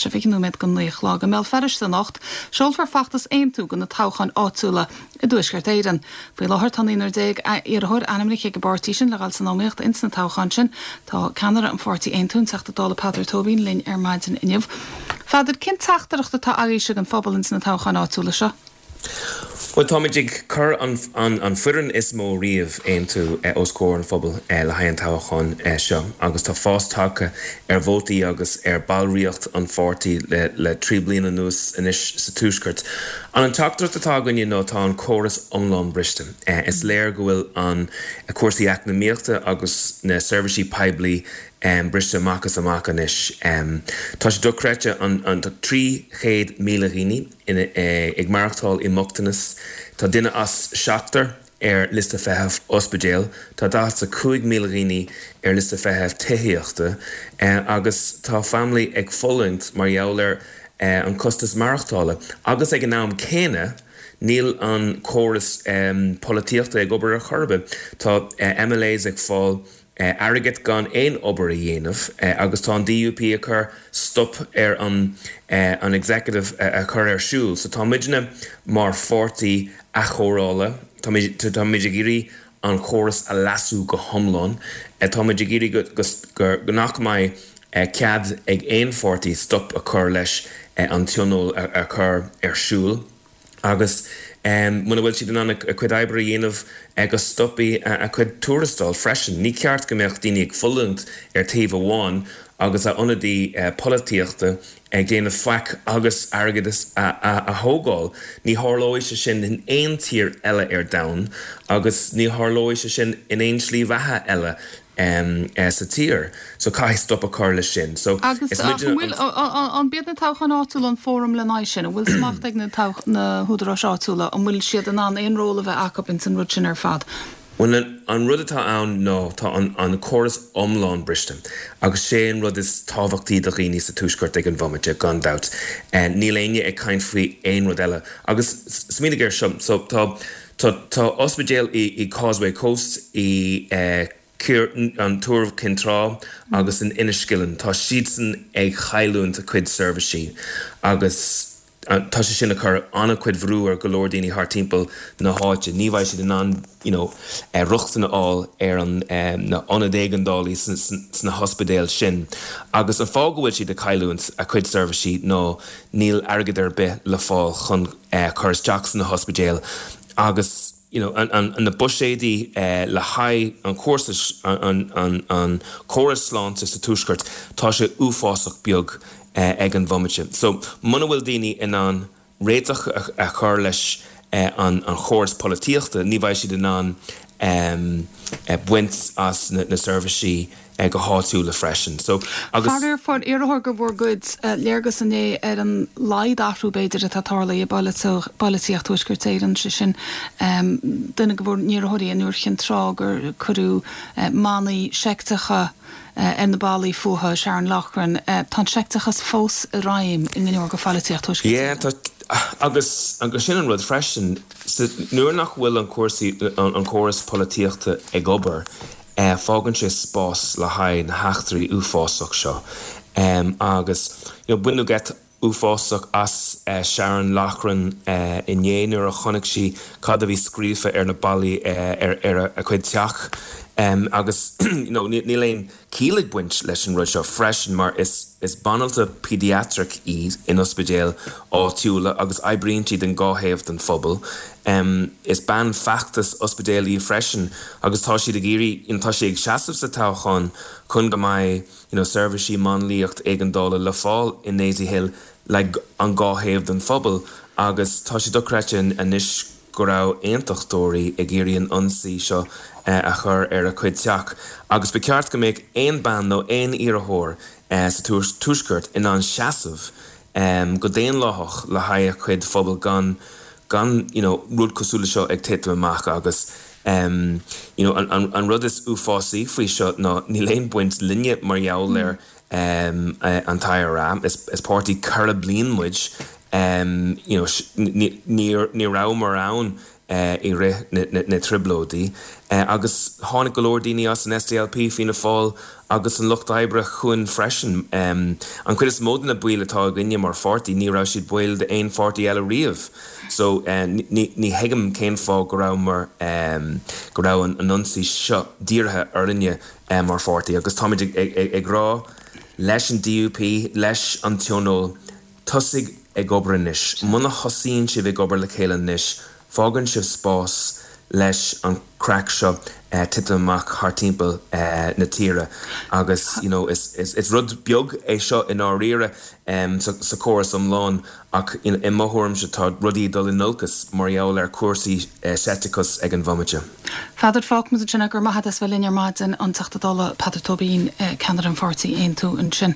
Tá sé 20 nóiméad go 9 a chlog. I mBéal Feirste anocht, seolfar feachtas Aontú do na toghcháin áitiúla i dTuaisceart Éireann. Faoi láthair tá naonúr déag iarrthóir ainmnithe ag an bpáirtí sin le dhul san iomaíocht ins na toghcháin sin. Tá ceannaire an pháirtí Aontú, an Teachta Dála Peadar Tóibín, linn ar maidin inniu. Pheadair, cén teachtaireacht atá agaibhse don phobal ins na toghcháin áitiúla seo? Bhuel, táimid ag cur an foireann is mó riamh, Aontú, os comhair an phobail le haghaidh an toghcháin seo agus tá fás tagtha ar vótaí agus ar ballraíocht an pháirtí le 3 bliana anuas anois sa Tuaisceart. An an teachtaireacht atá againne ná tá an córas iomlán briste. Is léir go bhfuil an cúrsaí eacnamaíochta agus na seirbhísí poiblí briste amach is amach anois. Tá sé dochreidte an 300,000 dhaoine ag maireachtáil i mbochtanas. Tá duine as seachtar ar liosta feithimh ospidéil, tá 45,000 dhaoine ar liosta feithimh tithíochta agus tá family ag fulaingt mar gheall ar an costas maireachtála. Agus ag an am céanna níl an córas polaitíochta ag obair ar chor ar bith. Tá MLAs ag fáil airgead gan aon obair a dhéanamh agus tá an DUP ag cur stop ar an an executive a chur ar siúl. So tá muidne mar pháirtí athchóireála, táimid táimid ag iarraidh an chóras a leasú go hiomlán. Táimid ag iarraidh go go nach mbeidh cead ag aon pháirtí stop a chur leis an tionól a chur ar siúl. agus muna bhfuil siad in ann a cuid oibre a dhéanamh go stopfaí a cuid tuarastal freisin. Ní ceart go mbeadh daoine ag fulaingt ar taobh amháin agus a ionadaí polaitíochta ag déanamh faic agus airgead a thógáil. Ní tharlóidh sé sin in aon tír eile ar domhan agus ní tharlóidh sé sin in aon slí bheatha eile sa tír. So caithfidh stop a chur leis sin. So Agus is ach an bhfuil, an b'iad na toghcháin áitiúla an fóram lena aghaidh sin? An bhfuil smacht ag na na húdaráis áitiúla? An bhfuil siad in ann aon ról a bheith acu ins an rud sin ar fad? Bhuel an rud atá ann ná tá an an córas iomlán briste agus sé an rud is tábhachtaí do dhaoine sa Tuaisceart ag an bhomaite, gan dabht. Níl éinne ag caint faoi aon rud eile. Agus smaoinigh air seo, so tá Tá tá ospidéal i i Causeway Coast, i an Iúr Cinn Trá agus in Enniskillen. Tá siadsan ag cailliúint a cuid seirbhísí agus tá sé sin ag cur an-chuid bhrú ar go leor daoine thart timpeall na háite. Ní bheidh siad in ann you know rochtain a fháil ar an na ionaid éigeandálaí sna hospidéil sin. Agus an fáth go bhfuil siad ag cailliúint a cuid seirbhísí ná níl airgead ar bith le fáil chun cur isteach sna hospidéil agus you know an na buiséidí le haghaidh an cúrsa an an córas sláinte sa Tuaisceart tá sé uafásach beag ag an bhomaite. So muna bhfuil daoine in ann réiteach a chur leis an an chóras polaitíochta ní bheidh siad in ann baint as na seirbhísí go háitiúla freisin. So, agus. Faraor, fuair iarrthóir de bhur gcuid léargas inné ar an laghad athrú, b'fhéidir, atá tarlaithe i bpolaitíocht Thuaisceart Éireann, sé sin, duine de bhur n-iarrthóirí in Iúr Chinn Trá gur cuireadh manaí seicteacha ar na ballaí fúthu, Sharon Loughran. Tá an seicteachas fós i réim i go leor de pholaitíocht Thuaisceart Yeah, Éireann. tá, agus, agus sin an rud freisin, nuair nach bhfuil an cúrsaí, an córas polaitíochta ag obair, Fágann sé spás le haghaidh na heachtraí uafásach seo agus you know baineadh geit uafásach as Sharon Loughran inné nuair a chonaic sí cad a bhí scríofa ar na ballaí ar a cuid teach agus you know níl aon ciall ag baint leis an rud seo freisin mar is is banaltra pediatric í in ospidéal áitiúla agus oibríonn sí don dhá thaobh den phobal. Is bean feachtas ospidéil í freisin agus tá siad ag iarraidh, you know, tá sí ag seasamh sa toghchán chun go mbeidh, you know, seirbhísí máinliacht éigeandála le fáil i nDaisy Hill le an dhá thaobh den phobal agus tá sé dochreidte anois go raibh aontachtóirí ag iarraidh an ionsaí seo a chur ar a cuid teach agus ba cheart go mbeadh aon bean nó aon iarrthóir sa Tuaisceart in ann seasamh go daonlathach le haghaidh a cuid phobal gan gan you know rud cosúil le seo ag titim amach agus you know an rud is uafásaí faoi seo ná níl aon baint linne mar gheall ar an t-IRA. Is páirtí 4 bliain muid you know ní rabhamar ann. i rith na dTrioblóidí agus tháinig go leor daoine as an SDLP, Fianna Fáil agus an Lucht Oibre chugainn freisin. An chuid is mó de na baill atá againne mar pháirtí, ní raibh siad baill d'aon pháirtí eile riamh. So ní thuigim cén fáth go rabhamar, go raibh an ionsaí seo dírithe orainne mar pháirtí agus táimid ag rá leis an DUP, leis an Tionól, Tosaigh ag obair anois. Muna thosaíonn sibh ag obair le chéile anois, fágann sibh spás leis an craic seo titim amach thar timpeall na tíre agus you know is rud beag é seo i ndáiríre sa chóras iomlán ach i mo thuairimse tá rudaí ag dul in olcas mar gheall ar chúrsaí seiteachais ag an bhomaite. Pheadair, fágfaimid ansin é. Go raibh maith agat as bheith linn ar maidin, an Teachta Dála Peadar Tóibín, ceannaire an pháirtí Aontú ansin.